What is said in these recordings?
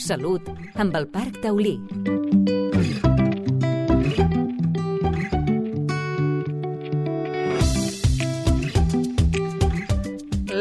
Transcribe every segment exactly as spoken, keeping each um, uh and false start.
Salut, amb el Parc Taulí.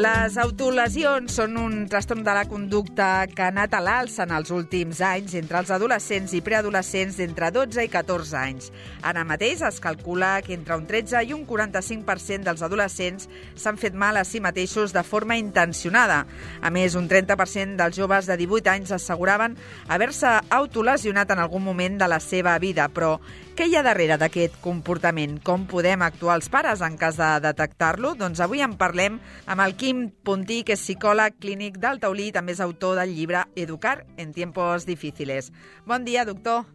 Les autolesions són un trastorn de la conducta que ha anat a l'alça en els últims anys entre els adolescents i preadolescents d'entre dotze i catorze anys. Ara mateix es calcula que entre un tretze i un quaranta-cinc per cent dels adolescents s'han fet mal a si mateixos de forma intencionada. A més, un trenta per cent dels joves de divuit anys asseguraven haver-se autolesionat en algun moment de la seva vida. Però què hi ha darrere d'aquest comportament? Com podem actuar els pares en cas de detectar-lo? Doncs avui en parlem amb el Quim Puntí, que és psicòleg clínic del Taulí i també és autor del llibre Educar en tiempos difíciles. Bon dia, doctor.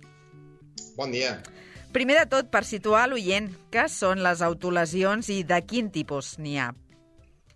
Bon dia. Primer de tot, per situar l'oient, què són les autolesions i de quin tipus n'hi ha?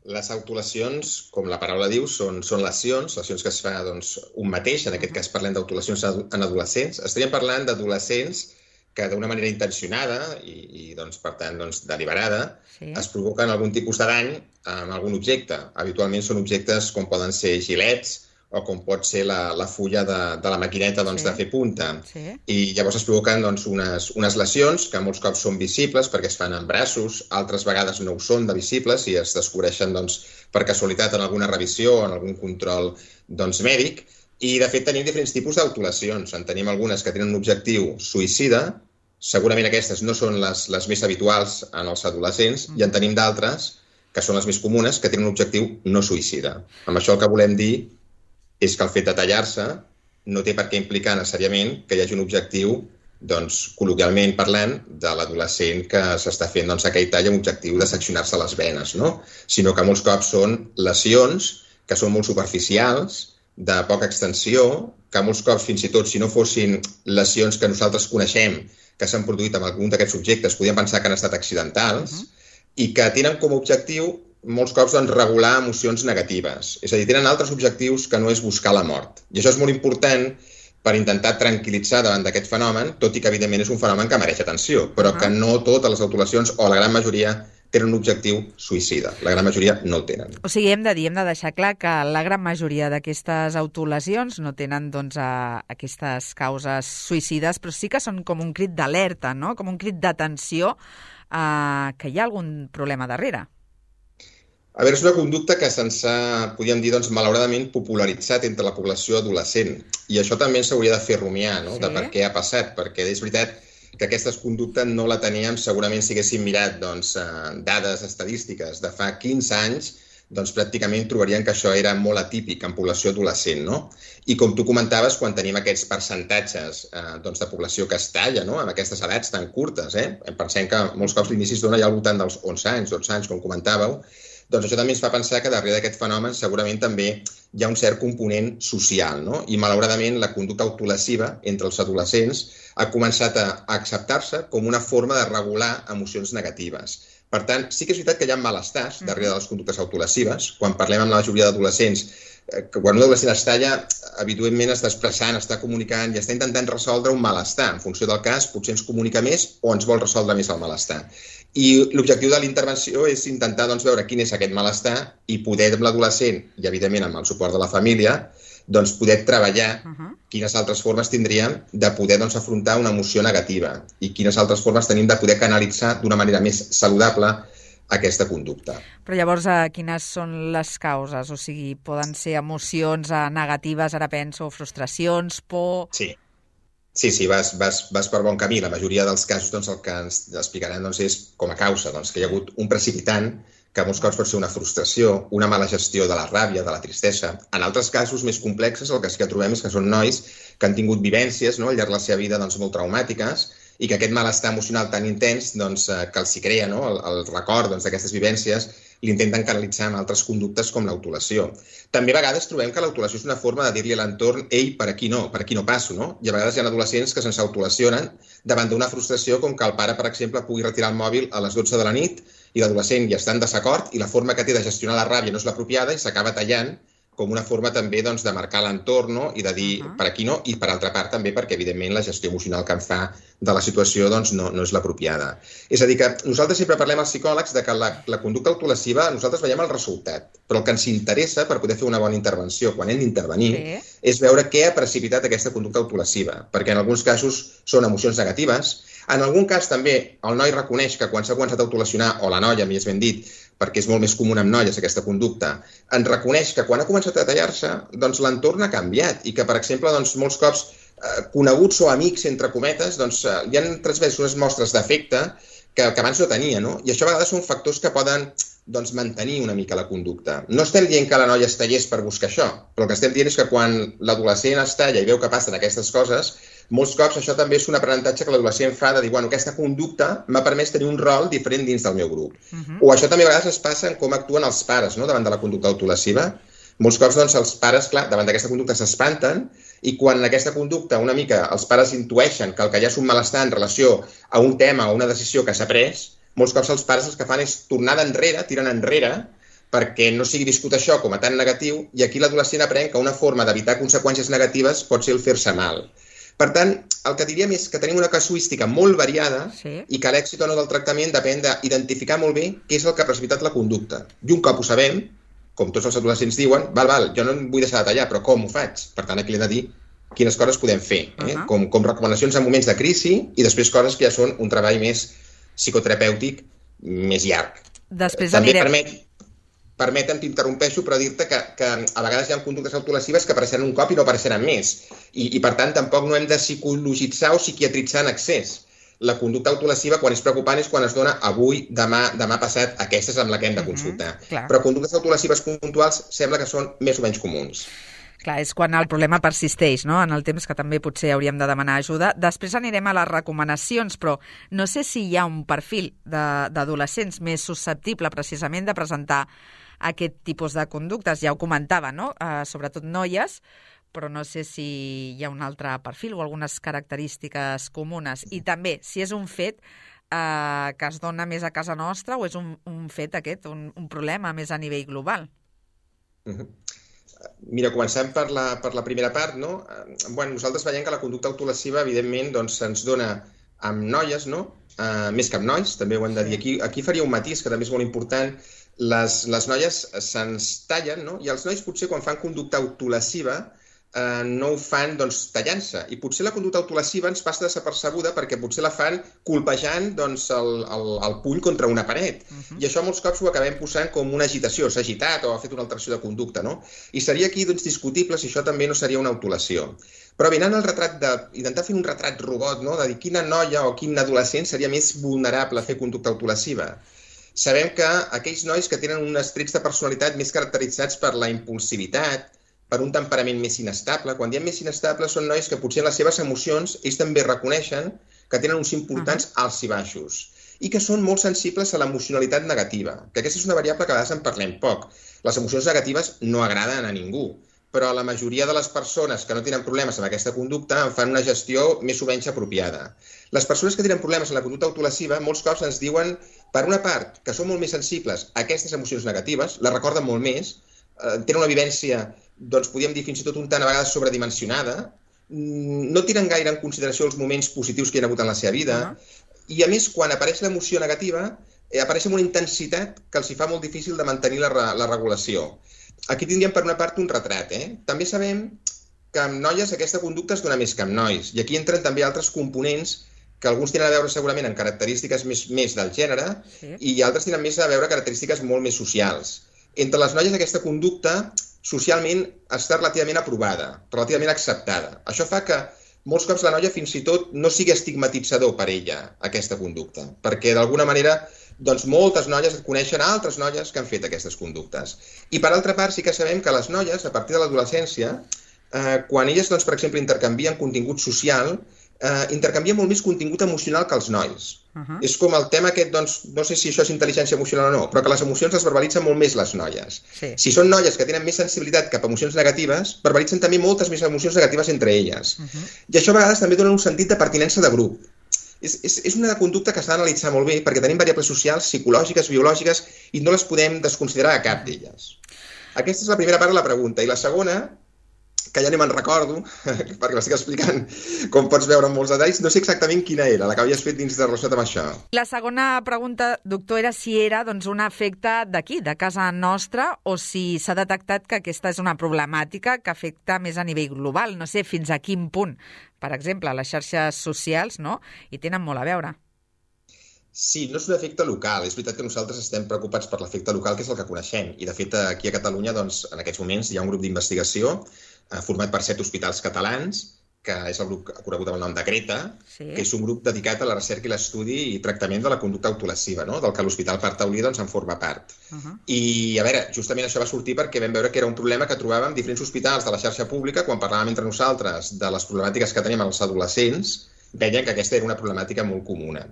Les autolesions, com la paraula diu, són, són lesions, lesions que es fa doncs, un mateix. En aquest cas parlem d'autolesions en adolescents. Estaríem parlant d'adolescents que d'una manera intencionada i, i doncs, per tant, doncs, deliberada, sí, es provoquen algun tipus de dany amb algun objecte. Habitualment són objectes com poden ser gilets o com pot ser la, la fulla de, de la maquineta doncs, sí, de fer punta. Sí. I llavors es provoquen doncs, unes, unes lesions que molts cops són visibles perquè es fan en braços, altres vegades no ho són de visibles i es descobreixen doncs, per casualitat en alguna revisió o en algun control doncs, mèdic. I, de fet, tenim diferents tipus d'autolesions. En tenim algunes que tenen un objectiu suïcida, segurament aquestes no són les, les més habituals en els adolescents, mm. i en tenim d'altres, que són les més comunes, que tenen un objectiu no suïcida. Amb això el que volem dir és que el fet de tallar-se no té per què implicar necessàriament que hi hagi un objectiu, doncs, col·loquialment parlant, de l'adolescent que s'està fent doncs, aquell tall amb objectiu de seccionar-se les venes, no? Sinó que molts cops són lesions que són molt superficials, de poca extensió, que molts cops, fins i tot, si no fossin lesions que nosaltres coneixem, que s'han produït amb algun d'aquests objectes, podríem pensar que han estat accidentals, uh-huh, i que tenen com a objectiu, molts cops, doncs, regular emocions negatives. És a dir, tenen altres objectius que no és buscar la mort. I això és molt important per intentar tranquil·litzar davant d'aquest fenomen, tot i que, evidentment, és un fenomen que mereix atenció, però uh-huh, que no totes les autolesions, o la gran majoria, tenen un objectiu suïcida. La gran majoria no el tenen. O sigui, hem de dir, hem de deixar clar que la gran majoria d'aquestes autolesions no tenen doncs, a, aquestes causes suïcides, però sí que són com un crit d'alerta, no? Com un crit d'atenció eh, que hi ha algun problema darrere. A veure, és una conducta que se'ns ha, podríem dir, doncs, malauradament popularitzat entre la població adolescent. I això també s'hauria de fer rumiar, no? Sí. De per què ha passat, perquè és veritat que aquesta conducta no la teníem segurament si haguéssim mirat doncs, dades estadístiques de fa quinze anys, doncs pràcticament trobarien que això era molt atípic en població adolescent, no? I com tu comentaves, quan tenim aquests percentatges eh, doncs, de població que es talla, no? Amb aquestes edats tan curtes, eh? Pensem que molts cops l'inici es dona ja al voltant dels onze anys, dotze anys, com comentàveu, doncs això també ens fa pensar que darrere d'aquest fenomen segurament també hi ha un cert component social, no? I malauradament la conducta autolesiva entre els adolescents ha començat a acceptar-se com una forma de regular emocions negatives. Per tant, sí que és veritat que hi ha malestars darrere de les conductes autolesives. Quan parlem amb la majoria d'adolescents, quan un adolescent es talla, habitualment està expressant, està comunicant i està intentant resoldre un malestar. En funció del cas, potser ens comunica més o ens vol resoldre més el malestar. I l'objectiu de la intervenció és intentar doncs, veure quin és aquest malestar i poder amb l'adolescent, i evidentment amb el suport de la família, doncs poder treballar uh-huh, quines altres formes tindríem de poder doncs, afrontar una emoció negativa i quines altres formes tenim de poder canalitzar d'una manera més saludable aquesta conducta. Però llavors, eh, quines són les causes? O sigui, poden ser emocions eh, negatives, ara penso, frustracions, por... Sí. Sí, sí, vas, vas, vas per bon camí. La majoria dels casos doncs, el que ens explicaran doncs, és com a causa doncs, que hi ha hagut un precipitant que molts cops pot ser una frustració, una mala gestió de la ràbia, de la tristesa. En altres casos més complexes el que sí que trobem és que són nois que han tingut vivències no, al llarg de la seva vida doncs, molt traumàtiques i que aquest malestar emocional tan intens doncs, que els hi crea no, el, el record doncs, d'aquestes vivències l'intenten canalitzar en altres conductes com l'autolació. També a vegades trobem que l'autolació és una forma de dir-li a l'entorn ei, per aquí no, per aquí no passo, no? I a vegades hi ha adolescents que se'ns autolesionen davant d'una frustració com que el pare, per exemple, pugui retirar el mòbil a les dotze de la nit i l'adolescent ja està en desacord i la forma que té de gestionar la ràbia no és l'apropiada i s'acaba tallant com una forma també doncs, de marcar l'entorn, no? I de dir uh -huh. per aquí no, i per altra part també perquè, evidentment, la gestió emocional que en fa de la situació doncs, no, no és l'apropiada. És a dir, que nosaltres sempre parlem als psicòlegs de que la, la conducta autolesiva nosaltres veiem el resultat, però el que ens interessa per poder fer una bona intervenció quan hem d'intervenir sí. és veure què ha precipitat aquesta conducta autolesiva, perquè en alguns casos són emocions negatives. En algun cas també el noi reconeix que quan s'ha començat a autolesionar, o la noia, més ben dit, perquè és molt més comú amb noies aquesta conducta, en reconeix que quan ha començat a tallar-se, doncs l'entorn ha canviat i que, per exemple, doncs, molts cops eh, coneguts o amics, entre cometes, doncs, eh, hi han transmès unes mostres d'afecte que, que abans no tenia, no? I això a vegades són factors que poden doncs, mantenir una mica la conducta. No estem dient que la noia es tallés per buscar això, però el que estem dient és que quan l'adolescent es talla i veu que passen aquestes coses, molts cops això també és un aprenentatge que l'adolescent fa de dir, bueno, aquesta conducta m'ha permès tenir un rol diferent dins del meu grup. Uh-huh. O això també a vegades es passa en com actuen els pares, no?, davant de la conducta autolesiva. Molts cops, doncs, els pares, clar, davant d'aquesta conducta s'espanten i quan aquesta conducta una mica els pares intueixen que el que hi ha és un malestar en relació a un tema o una decisió que s'ha pres, molts cops els pares el que fan és tornar d'enrere, tiren enrere, perquè no sigui viscut això com a tan negatiu, i aquí l'adolescent aprèn que una forma d'evitar conseqüències negatives pot ser el fer-se mal. Per tant, el que diríem és que tenim una casuística molt variada sí. i que l'èxit o no del tractament depèn d'identificar molt bé què és el que ha precipitat la conducta. I un cop ho sabem, com tots els adolescents diuen, val, val, jo no em vull deixar de tallar, però com ho faig? Per tant, aquí li he de dir quines coses podem fer, eh? uh-huh. com, com recomanacions en moments de crisi i després coses que ja són un treball més psicoterapèutic més llarg. Després També anirem... permet... Permetem, t'interrompeixo, però dir-te que, que a vegades hi ha conductes autolesives que apareixeran un cop i no apareixeran més. I, i per tant, tampoc no hem de psicologitzar o psiquiatritzar en excés. La conducta autolesiva, quan és preocupant, és quan es dona avui, demà, demà passat, aquesta és amb la que hem de consultar. Uh-huh, però conductes autolesives puntuals sembla que són més o menys comuns. Clar, és quan el problema persisteix, no?, en el temps, que també potser hauríem de demanar ajuda. Després anirem a les recomanacions, però no sé si hi ha un perfil d'adolescents més susceptible precisament de presentar aquest tipus de conductes. Ja ho comentava, no?, uh, sobretot noies, però no sé si hi ha un altre perfil o algunes característiques comunes. I també, si és un fet uh, que es dona més a casa nostra o és un, un fet aquest, un, un problema més a nivell global. Uh-huh. Mira, comencem per la, per la primera part, no? Bueno, nosaltres veiem que la conducta autolesiva, evidentment, doncs, se'ns dona amb noies, no? Uh, més que amb nois, també ho hem de dir. Aquí, aquí faria un matís, que també és molt important. Les, les noies se'ns tallen, no? I els nois potser quan fan conducta autolesiva eh, no ho fan doncs, tallant-se. I potser la conducta autolesiva ens passa desapercebuda perquè potser la fan colpejant doncs, el, el, el puny contra una paret. Uh-huh. I això molts cops ho acabem posant com una agitació. S'ha agitat o ha fet una alteració de conducta, no? I seria aquí doncs, discutible si això també no seria una autolesió. Però mirant el retrat de... intentar fer un retrat robot, no? De dir quina noia o quin adolescent seria més vulnerable a fer conducta autolesiva. Sabem que aquells nois que tenen uns trets de personalitat més caracteritzats per la impulsivitat, per un temperament més inestable, quan diem més inestable són nois que potser en les seves emocions ells també reconeixen que tenen uns importants uh-huh. alts i baixos i que són molt sensibles a l'emocionalitat negativa, que aquesta és una variable que a vegades en parlem poc. Les emocions negatives no agraden a ningú, però la majoria de les persones que no tenen problemes amb aquesta conducta en fan una gestió més o menys apropiada. Les persones que tenen problemes amb la conducta autolesiva molts cops ens diuen, per una part, que són molt més sensibles a aquestes emocions negatives, les recorden molt més, eh, tenen una vivència, doncs podríem dir fins i tot un tant a vegades sobredimensionada, no tiren gaire en consideració els moments positius que hi ha hagut en la seva vida, uh-huh. i a més, quan apareix l'emoció negativa, eh, apareix amb una intensitat que els hi fa molt difícil de mantenir la, la regulació. Aquí tindríem per una part un retrat. Eh? També sabem que amb noies aquesta conducta es dona més que amb nois. I aquí entren també altres components que alguns tenen a veure segurament amb característiques més, més del gènere sí. i altres tenen més a veure característiques molt més socials. Entre les noies aquesta conducta socialment està relativament aprovada, relativament acceptada. Això fa que molts cops la noia fins i tot no sigui estigmatitzador per ella aquesta conducta, perquè d'alguna manera doncs moltes noies coneixen altres noies que han fet aquestes conductes. I per altra part sí que sabem que les noies, a partir de l'adolescència, eh, quan elles, doncs, per exemple, intercanvien contingut social, eh, intercanvien molt més contingut emocional que els nois. Uh-huh. És com el tema aquest, doncs, no sé si això és intel·ligència emocional o no, però que les emocions les verbalitzen molt més les noies. Sí. Si són noies que tenen més sensibilitat cap a emocions negatives, verbalitzen també moltes més emocions negatives entre elles. Uh-huh. I això a vegades també dona un sentit de pertinença de grup. És, és, és una conducta que s'ha d'analitzar molt bé perquè tenim variables socials, psicològiques, biològiques i no les podem desconsiderar a cap d'elles. Aquesta és la primera part de la pregunta. I la segona, que ja ni me'n recordo, perquè l'estic explicant, com pots veure en molts detalls, no sé exactament quina era, la que havies fet dins de relació amb això. La segona pregunta, doctor, era si era doncs, un efecte d'aquí, de casa nostra, o si s'ha detectat que aquesta és una problemàtica que afecta més a nivell global. No sé fins a quin punt, per exemple, les xarxes socials, no?, hi tenen molt a veure. Sí, no és un efecte local. És veritat que nosaltres estem preocupats per l'efecte local, que és el que coneixem. I, de fet, aquí a Catalunya, doncs, en aquests moments, hi ha un grup d'investigació eh, format per set hospitals catalans, que és el grup conegut amb el nom de Greta, sí. que és un grup dedicat a la recerca i l'estudi i tractament de la conducta autolesiva, no?, del que l'Hospital Parc Taulí doncs, en forma part. Uh -huh. I, a veure, justament això va sortir perquè vam veure que era un problema que trobàvem diferents hospitals de la xarxa pública quan parlàvem entre nosaltres de les problemàtiques que tenim als adolescents. Veien que aquesta era una problemàtica molt comuna.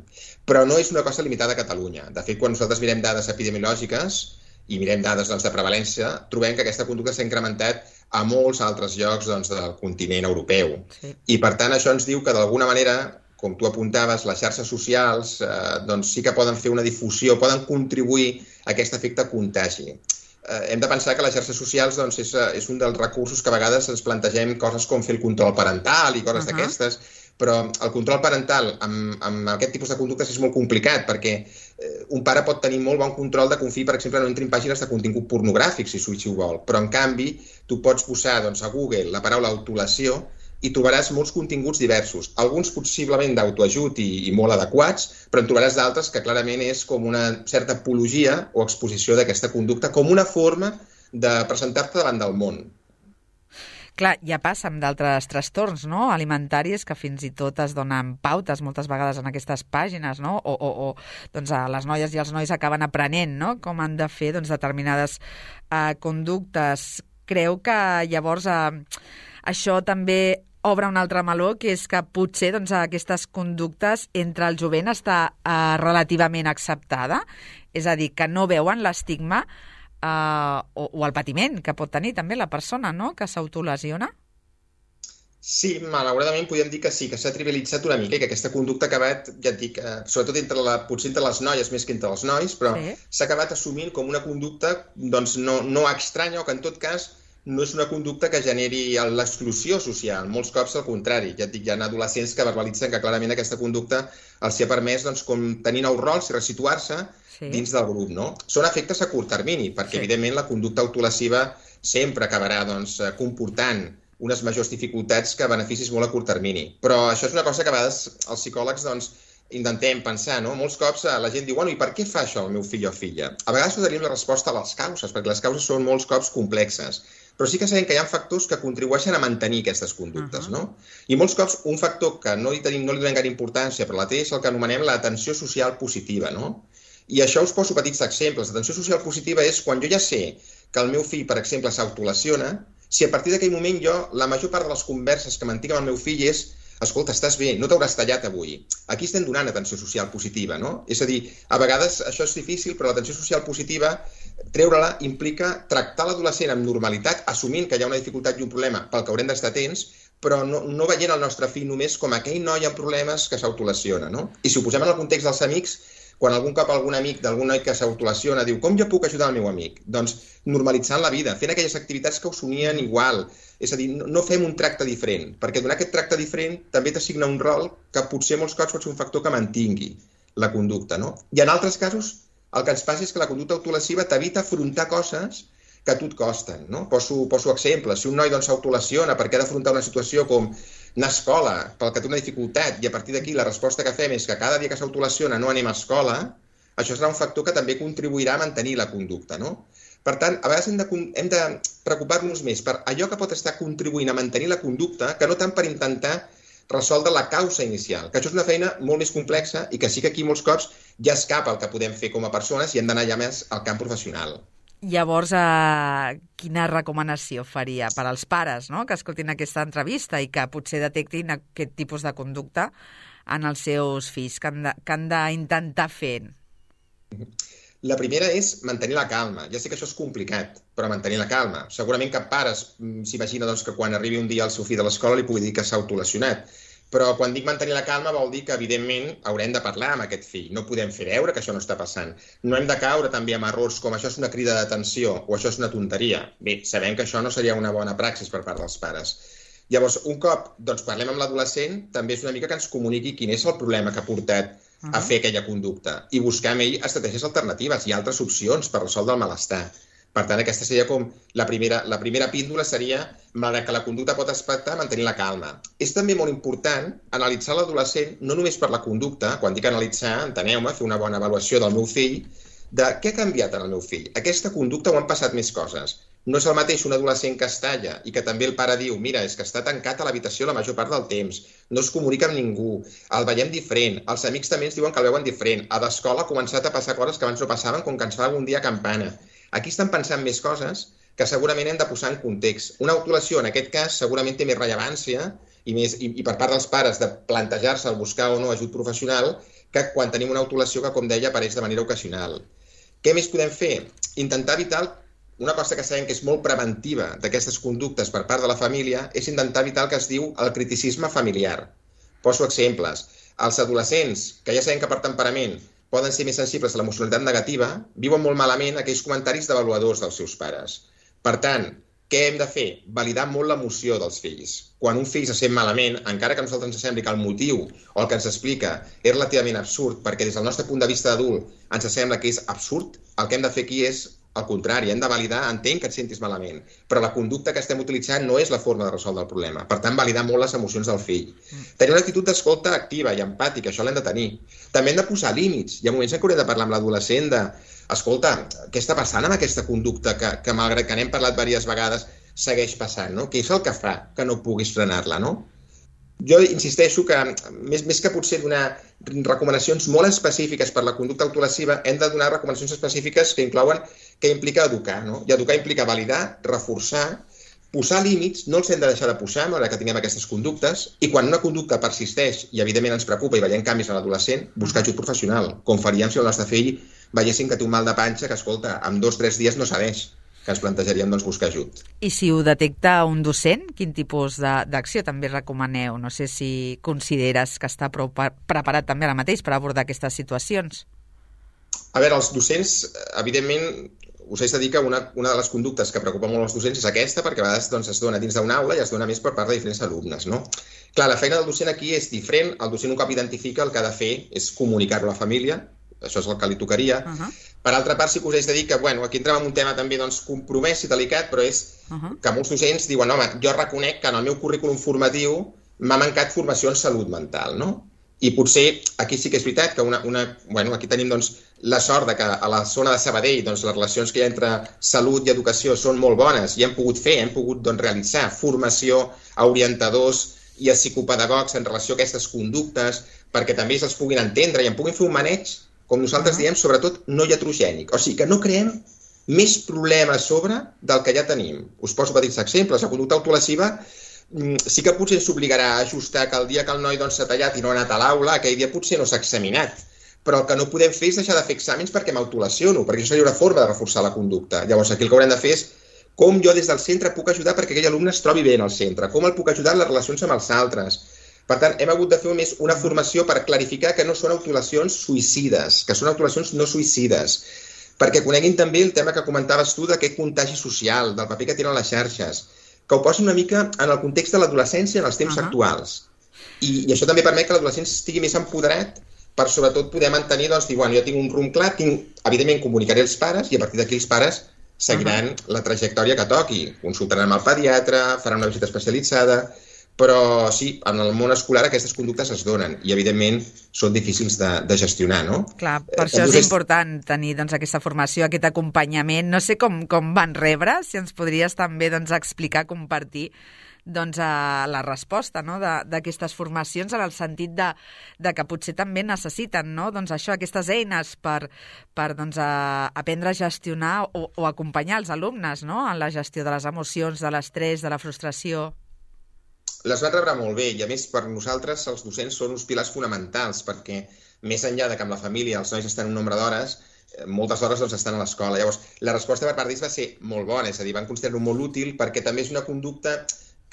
Però no és una cosa limitada a Catalunya. De fet, quan nosaltres mirem dades epidemiològiques i mirem dades doncs, de prevalència, trobem que aquesta conducta s'ha incrementat a molts altres llocs doncs, del continent europeu. Sí. I, per tant, això ens diu que, d'alguna manera, com tu apuntaves, les xarxes socials eh, doncs, sí que poden fer una difusió, poden contribuir a aquest efecte contagi. Eh, hem de pensar que les xarxes socials doncs, és, és un dels recursos que a vegades ens plantegem coses com fer el control parental i coses uh -huh. d'aquestes, però el control parental amb, amb aquest tipus de conductes és molt complicat perquè eh, un pare pot tenir molt bon control de confiar, per exemple, no entri en pàgines de contingut pornogràfic, si, si ho vol, però en canvi tu pots posar doncs, a Google la paraula autolesió i trobaràs molts continguts diversos, alguns possiblement d'autoajut i, i molt adequats, però en trobaràs d'altres que clarament és com una certa apologia o exposició d'aquesta conducta com una forma de presentar-te davant del món. Clar, ja passa amb d'altres trastorns, no?, alimentaris, que fins i tot es donen pautes moltes vegades en aquestes pàgines, no?, o, o, o doncs, les noies i els nois acaben aprenent, no?, com han de fer doncs, determinades eh, conductes. Creu que llavors eh, això també obre un altre meló, que és que potser doncs, aquestes conductes entre el jovent està eh, relativament acceptada, és a dir, que no veuen l'estigma Uh, o, o el patiment que pot tenir també la persona, no?, que s'autolesiona? Sí, malauradament podríem dir que sí, que s'ha trivialitzat una mica i que aquesta conducta ha acabat, ja et dic, eh, sobretot entre la, potser entre les noies més que entre els nois, però s'ha sí. acabat assumint com una conducta doncs, no, no estranya o que en tot cas no és una conducta que generi l'exclusió social. Molts cops al contrari. Ja et dic, hi ha adolescents que verbalitzen que clarament aquesta conducta els ha permès doncs, com tenir nous rols i resituar-se sí. dins del grup. No? Són efectes a curt termini, perquè sí. evidentment la conducta autolesiva sempre acabarà doncs, comportant unes majors dificultats que beneficis molt a curt termini. Però això és una cosa que a vegades els psicòlegs doncs, intentem pensar, no? Molts cops la gent diu, bueno, i per què fa això el meu fill o filla? A vegades no tenim la resposta a les causes, perquè les causes són molts cops complexes. Però sí que sabem que hi ha factors que contribueixen a mantenir aquestes conductes, uh -huh. no? I molts cops un factor que no li tenim, no li donem gaire importància, però la té, és el que anomenem l'atenció social positiva, no? I això us poso petits exemples. L'atenció social positiva és quan jo ja sé que el meu fill, per exemple, s'autolesiona, si a partir d'aquell moment jo, la major part de les converses que mantinc amb el meu fill és escolta, estàs bé, no t'hauràs tallat avui. Aquí estem donant atenció social positiva, no? És a dir, a vegades això és difícil, però l'atenció social positiva, treure-la implica tractar l'adolescent amb normalitat, assumint que hi ha una dificultat i un problema pel que haurem d'estar atents, però no, no veient el nostre fill només com aquell noi amb problemes que s'autolesiona, no? I si ho posem en el context dels amics, quan algun cop algun amic d'algun noi que s'autolesiona diu com jo puc ajudar el meu amic? Doncs normalitzant la vida, fent aquelles activitats que us unien igual. És a dir, no fem un tracte diferent, perquè donar aquest tracte diferent també t'assigna un rol que potser molts cops pot ser un factor que mantingui la conducta, no? I en altres casos el que ens passa és que la conducta autolesiva t'evita afrontar coses que a tu et costen, no? Poso, poso exemples. Si un noi doncs, s'autolesiona perquè ha d'afrontar una situació com anar a escola, pel que té una dificultat, i a partir d'aquí la resposta que fem és que cada dia que s'autolesiona no anem a escola, això serà un factor que també contribuirà a mantenir la conducta, no? Per tant, a vegades hem de, hem de preocupar-nos més per allò que pot estar contribuint a mantenir la conducta que no tant per intentar resoldre la causa inicial, que això és una feina molt més complexa i que sí que aquí molts cops ja escapa el que podem fer com a persones i hem d'anar ja més al camp professional. Llavors, eh, quina recomanació faria per als pares, no?, que escoltin aquesta entrevista i que potser detectin aquest tipus de conducta en els seus fills, que han d'intentar fer? La primera és mantenir la calma. Ja sé que això és complicat, però mantenir la calma. Segurament cap pare s'imagina doncs, que quan arribi un dia el seu fill de l'escola li pugui dir que s'ha autolesionat. Però quan dic mantenir la calma vol dir que, evidentment, haurem de parlar amb aquest fill. No podem fer veure que això no està passant. No hem de caure també en errors com això és una crida d'atenció o això és una tonteria. Bé, sabem que això no seria una bona praxis per part dels pares. Llavors, un cop doncs, parlem amb l'adolescent, també és una mica que ens comuniqui quin és el problema que ha portat a fer aquella conducta i buscar amb ell estratègies alternatives i altres opcions per resoldre el malestar. Per tant, aquesta seria com la primera, la primera píndola seria, malgrat que la conducta pot aspectar, mantenir la calma. És també molt important analitzar l'adolescent, no només per la conducta, quan dic analitzar, enteneu-me, fer una bona avaluació del meu fill, de què ha canviat en el meu fill. Aquesta conducta o han passat més coses. No és el mateix un adolescent que es talla i que també el pare diu mira, és que està tancat a l'habitació la major part del temps, no es comunica amb ningú, el veiem diferent, els amics també ens diuen que el veuen diferent, a l'escola ha començat a passar coses que abans no passaven com que ens fa algun dia campana. Aquí estan pensant més coses que segurament hem de posar en context. Una autolació, en aquest cas, segurament té més rellevància i, més, i, i per part dels pares de plantejar-se el buscar o no ajut professional que quan tenim una autolació que, com deia, apareix de manera ocasional. Què més podem fer? Intentar evitar una cosa que sabem que és molt preventiva d'aquestes conductes per part de la família és intentar evitar el que es diu el criticisme familiar. Poso exemples. Els adolescents, que ja sabem que per temperament poden ser més sensibles a l'emocionalitat negativa, viuen molt malament aquells comentaris d'avaluadors dels seus pares. Per tant, què hem de fer? Validar molt l'emoció dels fills. Quan un fill se sent malament, encara que a nosaltres ens sembli que el motiu o el que ens explica és relativament absurd, perquè des del nostre punt de vista d'adult ens sembla que és absurd, el que hem de fer aquí és al contrari, hem de validar, entenc que et sentis malament, però la conducta que estem utilitzant no és la forma de resoldre el problema. Per tant, validar molt les emocions del fill. Mm. Tenir una actitud d'escolta activa i empàtica, això l'hem de tenir. També hem de posar límits. Hi ha moments en què haurem de parlar amb l'adolescent de escolta, què està passant amb aquesta conducta que, que malgrat que n'hem parlat diverses vegades, segueix passant, no? Què és el que fa que no puguis frenar-la, no? Jo insisteixo que, més, més que potser donar recomanacions molt específiques per la conducta autolesiva, hem de donar recomanacions específiques que inclouen, que implica educar, no? I educar implica validar, reforçar, posar límits, no els hem de deixar de posar, malgrat que tinguem aquestes conductes, i quan una conducta persisteix i evidentment ens preocupa i veiem canvis en l'adolescent, buscar ajut professional, com faríem si el nostre fill veiessin que té un mal de panxa que, escolta, en dos o tres dies no sabeix, que ens plantejaríem doncs, buscar ajut. I si ho detecta un docent, quin tipus d'acció també recomaneu? No sé si consideres que està prou preparat també ara mateix per abordar aquestes situacions. A veure, els docents, evidentment, us haig de dir que una, una de les conductes que preocupa molt els docents és aquesta, perquè a vegades doncs, es dona dins d'una aula i es dona més per part de diferents alumnes, no? Clar, la feina del docent aquí és diferent. El docent un cop identifica el que ha de fer és comunicar-ho a la família, això és el que li tocaria. Uh-huh. Per altra part, sí que us haig de dir que, bueno, aquí entrem en un tema també doncs, compromès i delicat, però és uh-huh. que molts docents diuen, home, jo reconec que en el meu currículum formatiu m'ha mancat formació en salut mental, no? I potser aquí sí que és veritat que una, una, bueno, aquí tenim doncs, la sort de que a la zona de Sabadell doncs, les relacions que hi ha entre salut i educació són molt bones i hem pogut fer, hem pogut doncs, realitzar formació a orientadors i a psicopedagogs en relació a aquestes conductes perquè també els puguin entendre i en puguin fer un maneig, com nosaltres diem, sobretot no iatrogènic. O sigui, que no creem més problemes sobre del que ja tenim. Us poso petits exemples. La conducta autolesiva sí que potser ens obligarà a ajustar que el dia que el noi doncs, s'ha tallat i no ha anat a l'aula, aquell dia potser no s'ha examinat. Però el que no podem fer és deixar de fer exàmens perquè m'autolesiono, perquè això seria una forma de reforçar la conducta. Llavors, aquí el que haurem de fer és com jo des del centre puc ajudar perquè aquell alumne es trobi bé en el centre, com el puc ajudar en les relacions amb els altres. Per tant, hem hagut de fer més una formació per clarificar que no són autolesions suïcides, que són autolesions no suïcides, perquè coneguin també el tema que comentaves tu d'aquest contagi social, del paper que tenen les xarxes, que ho posin una mica en el context de l'adolescència en els temps uh-huh. actuals. I, I això també permet que l'adolescent estigui més empoderat per sobretot poder mantenir, doncs, dir, bueno, jo tinc un rumb clar, tinc, evidentment comunicaré als pares i a partir d'aquí els pares seguiran uh-huh. la trajectòria que toqui. Consultaran amb el pediatre, faran una visita especialitzada, però sí, en el món escolar aquestes conductes es donen i evidentment són difícils de, de gestionar, no? Clar, per eh, això és important tenir doncs, aquesta formació, aquest acompanyament. No sé com, com van rebre, si ens podries també doncs, explicar, compartir doncs, a la resposta no? d'aquestes formacions en el sentit de, de que potser també necessiten no? doncs això, aquestes eines per, per doncs, a, aprendre a gestionar o, o acompanyar els alumnes no? en la gestió de les emocions, de l'estrès, de la frustració. Les van rebre molt bé i, a més, per nosaltres els docents són uns pilars fonamentals perquè, més enllà de que amb la família els nois estan un nombre d'hores, moltes hores doncs, estan a l'escola. Llavors, la resposta per part d'ells va ser molt bona, és a dir, van considerar-ho molt útil perquè també és una conducta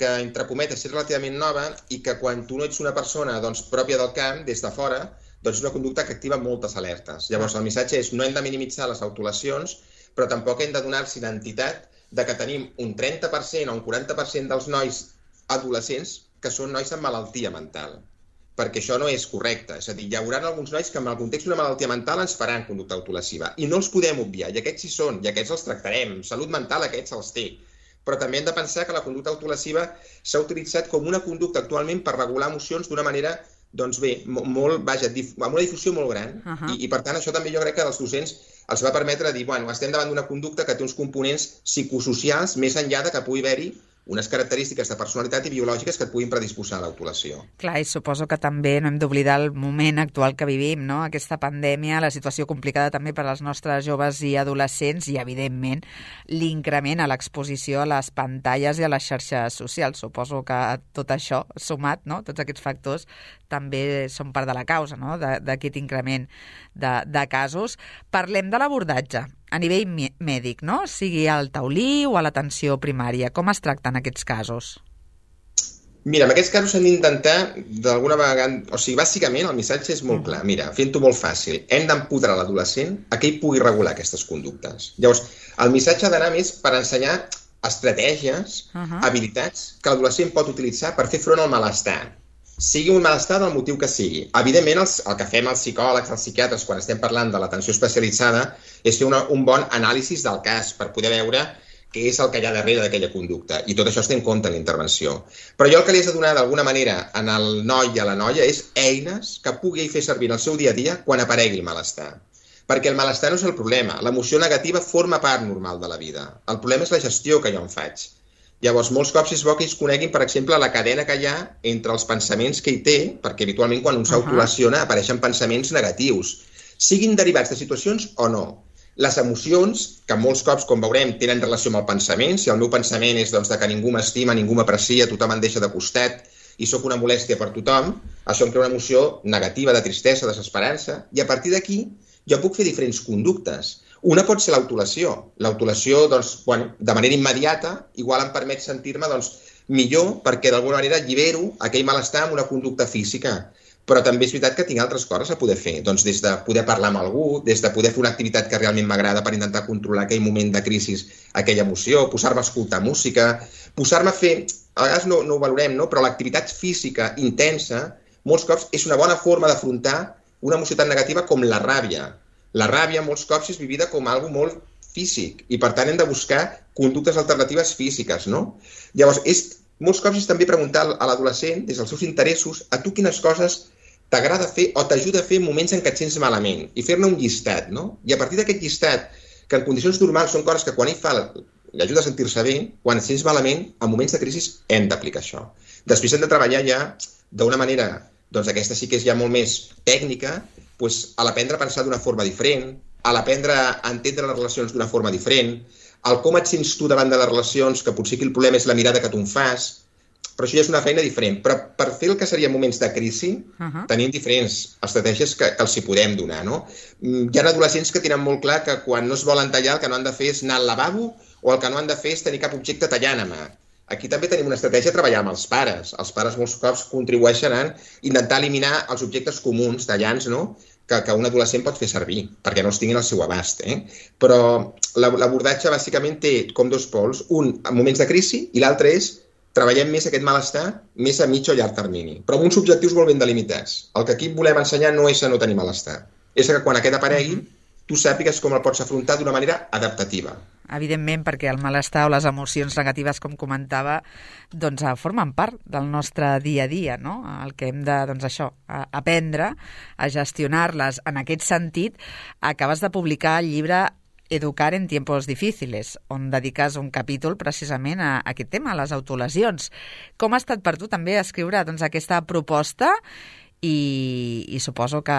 que, entre cometes, és relativament nova i que quan tu no ets una persona doncs, pròpia del camp, des de fora, doncs és una conducta que activa moltes alertes. Llavors, el missatge és no hem de minimitzar les autolesions, però tampoc hem de donar-los identitat de que tenim un trenta per cent o un quaranta per cent dels nois adolescents que són nois amb malaltia mental, perquè això no és correcte. És a dir, hi haurà alguns nois que en el context d'una malaltia mental ens faran conducta autolesiva i no els podem obviar, i aquests hi són, i aquests els tractarem. Salut mental aquests els té. Però també hem de pensar que la conducta autolesiva s'ha utilitzat com una conducta actualment per regular emocions d'una manera, doncs bé, molt, vaja, amb una difusió molt gran. Uh -huh. I, I per tant això també jo crec que als docents els va permetre dir, bueno, estem davant d'una conducta que té uns components psicosocials més enllà de que pugui haver-hi unes característiques de personalitat i biològiques que et puguin predisposar a l'autolació. Clar, i suposo que també no hem d'oblidar el moment actual que vivim, no? Aquesta pandèmia, la situació complicada també per als nostres joves i adolescents i, evidentment, l'increment a l'exposició a les pantalles i a les xarxes socials. Suposo que tot això, sumat, no? Tots aquests factors, també són part de la causa, no? D'aquest increment de, de casos. Parlem de l'abordatge a nivell mèdic, no? Sigui al taulí o a l'atenció primària. Com es tracten aquests casos? Mira, en aquests casos hem d'intentar, d'alguna vegada... O sigui, bàsicament, el missatge és molt clar. Mira, fent-ho molt fàcil, hem d'empoderar l'adolescent a que ell pugui regular aquestes conductes. Llavors, el missatge ha d'anar més per ensenyar estratègies, uh-huh. habilitats que l'adolescent pot utilitzar per fer front al malestar. Sigui un malestar del motiu que sigui. Evidentment, els, el que fem els psicòlegs, els psiquiatres, quan estem parlant de l'atenció especialitzada, és fer una, un bon anàlisi del cas per poder veure què és el que hi ha darrere d'aquella conducta. I tot això es té en compte en la intervenció. Però jo el que li has de donar d'alguna manera en el noi i a la noia és eines que pugui fer servir en el seu dia a dia quan aparegui el malestar. Perquè el malestar no és el problema. L'emoció negativa forma part normal de la vida. El problema és la gestió que jo en faig. Llavors, molts cops és bo que ells coneguin, per exemple, la cadena que hi ha entre els pensaments que hi té, perquè habitualment quan un s'autolesiona apareixen pensaments negatius, siguin derivats de situacions o no. Les emocions, que molts cops, com veurem, tenen relació amb el pensament. Si el meu pensament és doncs, de que ningú m'estima, ningú m'aprecia, tothom em deixa de costat i sóc una molèstia per tothom, això em crea una emoció negativa, de tristesa, desesperança, i a partir d'aquí jo puc fer diferents conductes. Una pot ser l'autolesió. L'autolesió, doncs, bueno, de manera immediata, igual em permet sentir-me doncs, millor perquè d'alguna manera allibero aquell malestar amb una conducta física. Però també és veritat que tinc altres coses a poder fer. Doncs des de poder parlar amb algú, des de poder fer una activitat que realment m'agrada per intentar controlar aquell moment de crisi, aquella emoció, posar-me a escoltar música, posar-me a fer... A vegades no, no ho valorem, no? Però l'activitat física intensa, molts cops, és una bona forma d'afrontar una emoció tan negativa com la ràbia. La ràbia, molts cops, és vivida com algo molt físic i, per tant, hem de buscar conductes alternatives físiques, no? Llavors, és, molts cops és també preguntar a l'adolescent, des dels seus interessos, a tu quines coses t'agrada fer o t'ajuda a fer en moments en què et sents malament i fer-ne un llistat, no? I a partir d'aquest llistat, que en condicions normals són coses que quan ell fa l'ajuda a sentir-se bé, quan et sents malament, en moments de crisi hem d'aplicar això. Després hem de treballar ja d'una manera, doncs aquesta sí que és ja molt més tècnica, doncs, a l'aprendre a pensar d'una forma diferent, a l'aprendre a entendre les relacions d'una forma diferent, el com et sents tu davant de les relacions, que potser aquí el problema és la mirada que tu en fas, però això ja és una feina diferent. Però per fer el que seria moments de crisi, uh-huh. tenim diferents estratègies que, que els hi podem donar, no? Hi ha adolescents que tenen molt clar que quan no es volen tallar el que no han de fer és anar al lavabo o el que no han de fer és tenir cap objecte tallant a mà. Aquí també tenim una estratègia a treballar amb els pares. Els pares molts cops contribueixen a intentar eliminar els objectes comuns tallants, no?, que, que un adolescent pot fer servir, perquè no els tinguin al seu abast. Eh? Però l'abordatge bàsicament té com dos pols, un en moments de crisi i l'altre és treballem més aquest malestar, més a mig o llarg termini, però amb uns objectius molt ben delimitats. El que aquí volem ensenyar no és a no tenir malestar, és que quan aquest aparegui, tu sàpigues com el pots afrontar d'una manera adaptativa. Evidentment, perquè el malestar o les emocions negatives, com comentava, doncs formen part del nostre dia a dia, no? El que hem de, doncs això, aprendre a gestionar-les. En aquest sentit, acabes de publicar el llibre Educar en tiempos difíciles, on dediques un capítol precisament a aquest tema, a les autolesions. Com ha estat per tu també escriure doncs, aquesta proposta i, i suposo que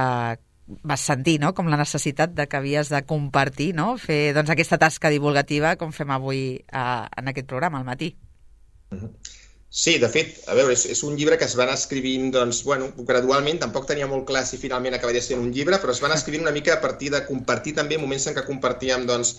vas sentir, no?, com la necessitat de que havies de compartir, no?, fer doncs, aquesta tasca divulgativa com fem avui a, en aquest programa, al matí. Sí, de fet, a veure, és, és un llibre que es van escrivint, doncs, bueno, gradualment, tampoc tenia molt clar si finalment acabaria sent un llibre, però es van escrivint una mica a partir de compartir també moments en què compartíem, doncs,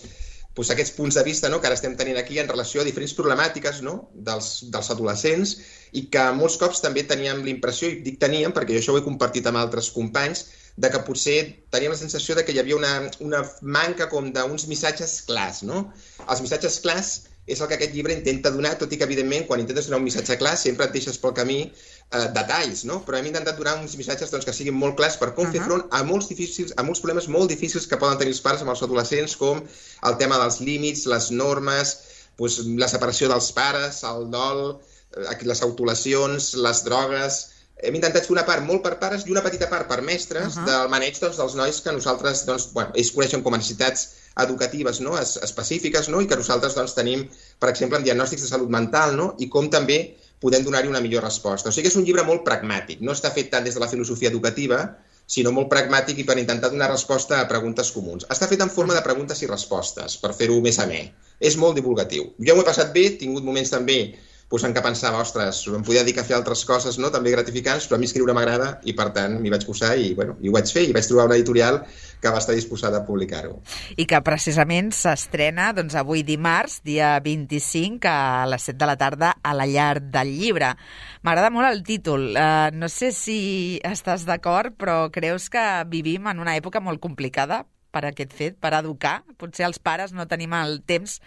doncs, aquests punts de vista, no?, que ara estem tenint aquí en relació a diferents problemàtiques, no?, dels, dels adolescents, i que molts cops també teníem l'impressió, i dic teníem perquè jo això ho he compartit amb altres companys, de que potser teníem la sensació de que hi havia una, una manca com d'uns missatges clars, no? Els missatges clars és el que aquest llibre intenta donar, tot i que, evidentment, quan intentes donar un missatge clar, sempre et deixes pel camí eh, detalls, no? Però hem intentat donar uns missatges doncs, que siguin molt clars per com uh -huh. fer front a molts, difícils, a molts problemes molt difícils que poden tenir els pares amb els adolescents, com el tema dels límits, les normes, doncs, la separació dels pares, el dol, eh, les autolesions, les drogues... Hem intentat fer una part molt per pares i una petita part per mestres uh -huh. del maneig doncs, dels nois que nosaltres, doncs, bueno, ells coneixen com a necessitats educatives, no?, es, específiques, no?, i que nosaltres doncs, tenim, per exemple, en diagnòstics de salut mental, no?, i com també podem donar-hi una millor resposta. O sigui que és un llibre molt pragmàtic, no està fet tant des de la filosofia educativa, sinó molt pragmàtic i per intentar donar resposta a preguntes comuns. Està fet en forma de preguntes i respostes, per fer-ho més amè. És molt divulgatiu. Jo m'ho he passat bé, he tingut moments també doncs, en què pensava, ostres, em podia dedicar a fer altres coses, no?, també gratificants, però a mi escriure m'agrada i, per tant, m'hi vaig posar i, bueno, i ho vaig fer i vaig trobar una editorial que va estar disposada a publicar-ho. I que precisament s'estrena doncs, avui dimarts, dia vint-i-cinc, a les set de la tarda, a la Llar del Llibre. M'agrada molt el títol. Uh, no sé si estàs d'acord, però creus que vivim en una època molt complicada per aquest fet, per educar? Potser els pares no tenim el temps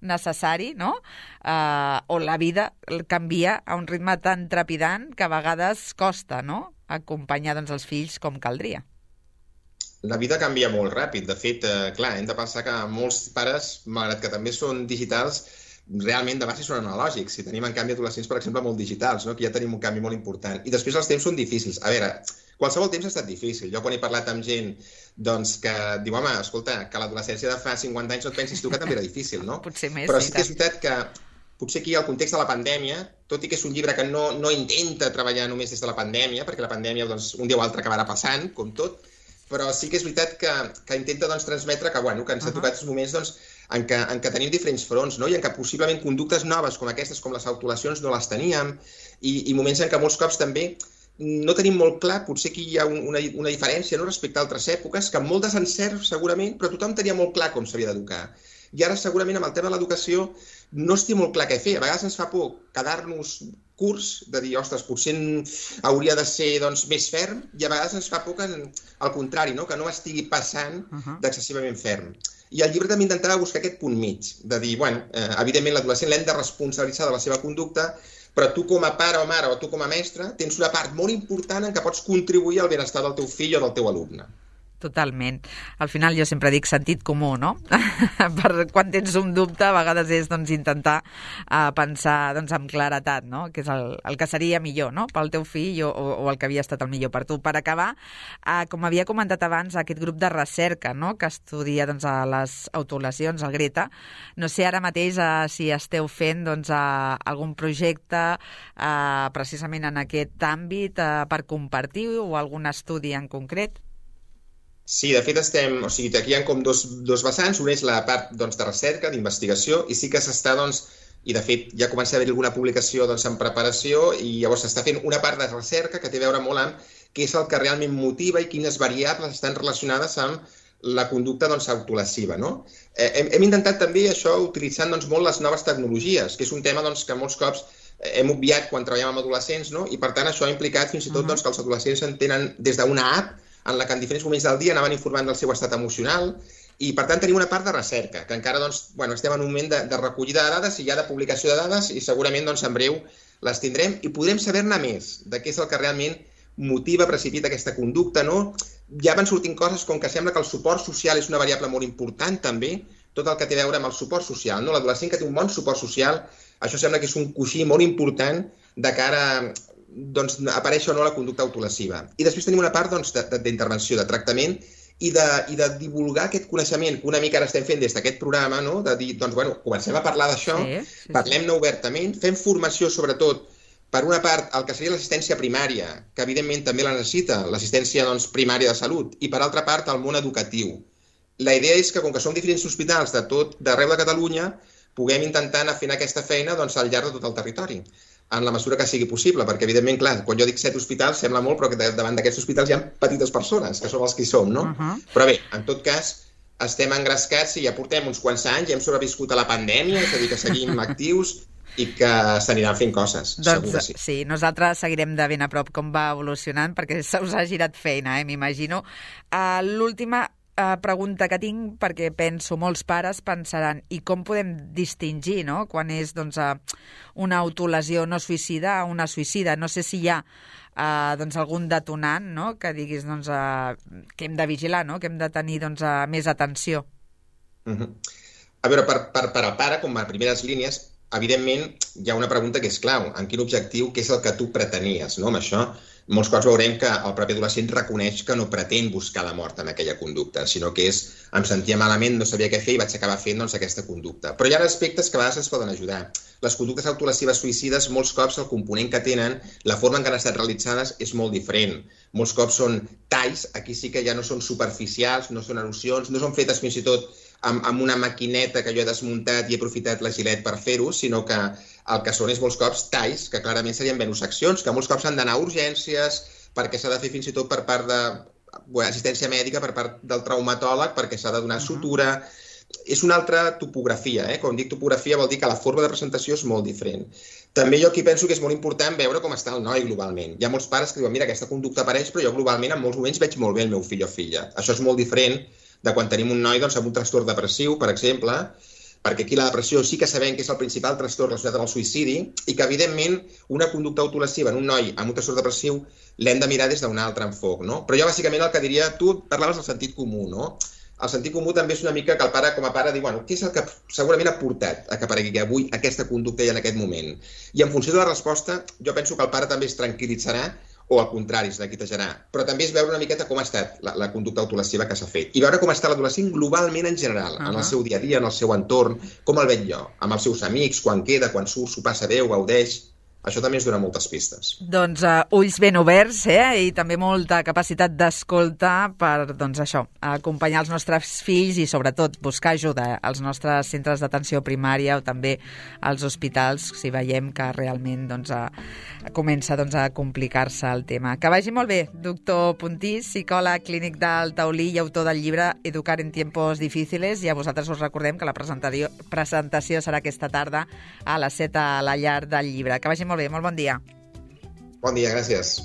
necessari, no? Uh, o la vida canvia a un ritme tan trepidant que a vegades costa, no?, acompanyar doncs, els fills com caldria. La vida canvia molt ràpid. De fet, eh, clar, hem de pensar que molts pares, malgrat que també són digitals, realment de base són analògics. I tenim, en canvi, adolescents, per exemple, molt digitals, no?, que ja tenim un canvi molt important. I després els temps són difícils. A veure, qualsevol temps ha estat difícil. Jo quan he parlat amb gent doncs, que diu, home, escolta, que l'adolescència de fa cinquanta anys no et pensis tu que també era difícil, no? Potser més, però sí que és veritat que potser aquí el context de la pandèmia, tot i que és un llibre que no, no intenta treballar només des de la pandèmia, perquè la pandèmia doncs, un dia o altre acabarà passant, com tot, però sí que és veritat que, que intenta doncs, transmetre que, bueno, que ens uh -huh. ha tocat els moments doncs, en, què, en què tenim diferents fronts, no?, i en què possiblement conductes noves com aquestes, com les autolesions, no les teníem, i, i moments en què molts cops també no tenim molt clar, potser aquí hi ha una, una diferència, no?, respecte a altres èpoques, que amb molt desencert segurament, però tothom tenia molt clar com s'havia d'educar. I ara segurament amb el tema de l'educació no es té molt clar què fer. A vegades ens fa por quedar-nos curts, de dir, ostres, potser hauria de ser doncs, més ferm, i a vegades ens fa por que, al contrari, no?, que no estigui passant uh -huh. d'excessivament ferm. I el llibre també intentava buscar aquest punt mig, de dir, bueno, eh, evidentment l'adolescent l'hem de responsabilitzar de la seva conducta, però tu com a pare o mare o tu com a mestre tens una part molt important en què pots contribuir al benestar del teu fill o del teu alumne. Totalment. Al final jo sempre dic sentit comú, no? Per quan tens un dubte, a vegades és doncs, intentar uh, pensar doncs, amb claretat, no?, que és el, el que seria millor, no?, pel teu fill o, o el que havia estat el millor per tu. Per acabar, uh, com havia comentat abans, aquest grup de recerca, no?, que estudia doncs, a les autolesions, el Greta, no sé ara mateix uh, si esteu fent doncs, uh, algun projecte uh, precisament en aquest àmbit uh, per compartir o algun estudi en concret. Sí, de fet estem, o sigui, aquí hi ha com dos, dos vessants, un és la part doncs, de recerca, d'investigació, i sí que s'està, doncs, i de fet ja comença a haver alguna publicació doncs, en preparació, i llavors s'està fent una part de recerca que té a veure molt amb què és el que realment motiva i quines variables estan relacionades amb la conducta doncs, autolesiva, no? Eh, hem, hem intentat també això utilitzant doncs, molt les noves tecnologies, que és un tema doncs, que molts cops hem obviat quan treballem amb adolescents, no? I per tant això ha implicat fins i tot doncs, que els adolescents en tenen des d'una app en la que en diferents moments del dia anaven informant del seu estat emocional, i per tant tenim una part de recerca, que encara doncs, bueno, estem en un moment de, de recollida de dades i ja de publicació de dades, i segurament doncs, en breu les tindrem i podrem saber-ne més de què és el que realment motiva, precipita aquesta conducta, no? Ja van sortint coses com que sembla que el suport social és una variable molt important també, tot el que té a veure amb el suport social, no? L'adolescent que té un bon suport social, això sembla que és un coixí molt important de cara doncs, apareix o no la conducta autolesiva. I després tenim una part doncs, d'intervenció, de, de tractament i de, i de divulgar aquest coneixement que una mica ara estem fent des d'aquest programa, no? De dir, doncs, bueno, comencem a parlar d'això, sí, sí, sí. Parlem-ne obertament, fem formació sobretot per una part el que seria l'assistència primària, que evidentment també la necessita, l'assistència doncs, primària de salut, i per altra part el món educatiu. La idea és que, com que som diferents hospitals de tot d'arreu de Catalunya, puguem intentar anar fent aquesta feina doncs, al llarg de tot el territori, en la mesura que sigui possible, perquè evidentment, clar, quan jo dic set hospitals sembla molt, però que davant d'aquests hospitals hi ha petites persones, que som els que hi som, no? Uh-huh. Però bé, en tot cas, estem engrescats i ja portem uns quants anys, ja hem sobreviscut a la pandèmia, és a dir, que seguim actius i que s'aniran fent coses, doncs, segur que sí. Sí, nosaltres seguirem de ben a prop com va evolucionant, perquè se us ha girat feina, eh, m'imagino. Uh, L'última uh, pregunta que tinc, perquè penso, molts pares pensaran, i com podem distingir, no?, quan és doncs, uh, una autolesió no suïcida o una suïcida? No sé si hi ha uh, doncs, algun detonant, no?, que diguis doncs, uh, que hem de vigilar, no?, que hem de tenir doncs, uh, més atenció. Uh-huh. A veure, per, per, per al pare, com a primeres línies, evidentment, hi ha una pregunta que és clau. En quin objectiu, què és el que tu pretenies, no? Amb això, molts cops veurem que el propi adolescent reconeix que no pretén buscar la mort en aquella conducta, sinó que és, em sentia malament, no sabia què fer i vaig acabar fent doncs, aquesta conducta. Però hi ha aspectes que a vegades ens poden ajudar. Les conductes autolesives suïcides, molts cops el component que tenen, la forma en què han estat realitzades és molt diferent. Molts cops són talls, aquí sí que ja no són superficials, no són erosions, no són fetes fins i tot amb, amb una maquineta que jo he desmuntat i he aprofitat la gilet per fer-ho, sinó que el que són és molts cops talls, que clarament serien venoseccions, que molts cops han d'anar a urgències, perquè s'ha de fer fins i tot per part de bueno, assistència mèdica, per part del traumatòleg, perquè s'ha de donar sutura. És una altra topografia, eh? Quan dic topografia vol dir que la forma de presentació és molt diferent. També jo aquí penso que és molt important veure com està el noi globalment. Hi ha molts pares que diuen, mira, aquesta conducta apareix, però jo globalment en molts moments veig molt bé el meu fill o filla. Això és molt diferent de quan tenim un noi doncs, amb un trastorn depressiu, per exemple, perquè aquí la depressió sí que sabem que és el principal trastorn relacionat amb el suïcidi i que, evidentment, una conducta autolesiva en un noi amb un trastorn depressiu l'hem de mirar des d'un altre enfoc, no? Però jo, bàsicament, el que diria, tu parlaves del sentit comú, no? El sentit comú també és una mica que el pare, com a pare, diu, bueno, què és el que segurament ha portat a que aparegui avui aquesta conducta i en aquest moment? I en funció de la resposta, jo penso que el pare també es tranquil·litzarà o al contrari, es neguitejarà. Però també és veure una miqueta com ha estat la, la conducta autolesiva que s'ha fet. I veure com està l'adolescent globalment en general, uh-huh. en el seu dia a dia, en el seu entorn, com el veig jo, amb els seus amics, quan queda, quan surt, s'ho passa bé, ho gaudeix. Això també ens dona moltes pistes. Doncs uh, ulls ben oberts, eh? I també molta capacitat d'escolta per, doncs això, acompanyar els nostres fills i sobretot buscar ajuda als nostres centres d'atenció primària o també als hospitals si veiem que realment doncs, uh, comença doncs, a complicar-se el tema. Que vagi molt bé, doctor Puntís, psicòleg clínic del Taulí i autor del llibre Educar en tiempos difíciles, i a vosaltres us recordem que la presentació, presentació serà aquesta tarda a les set a la llar del llibre. Que vagi molt bé, molt bon dia. Bon dia, gràcies.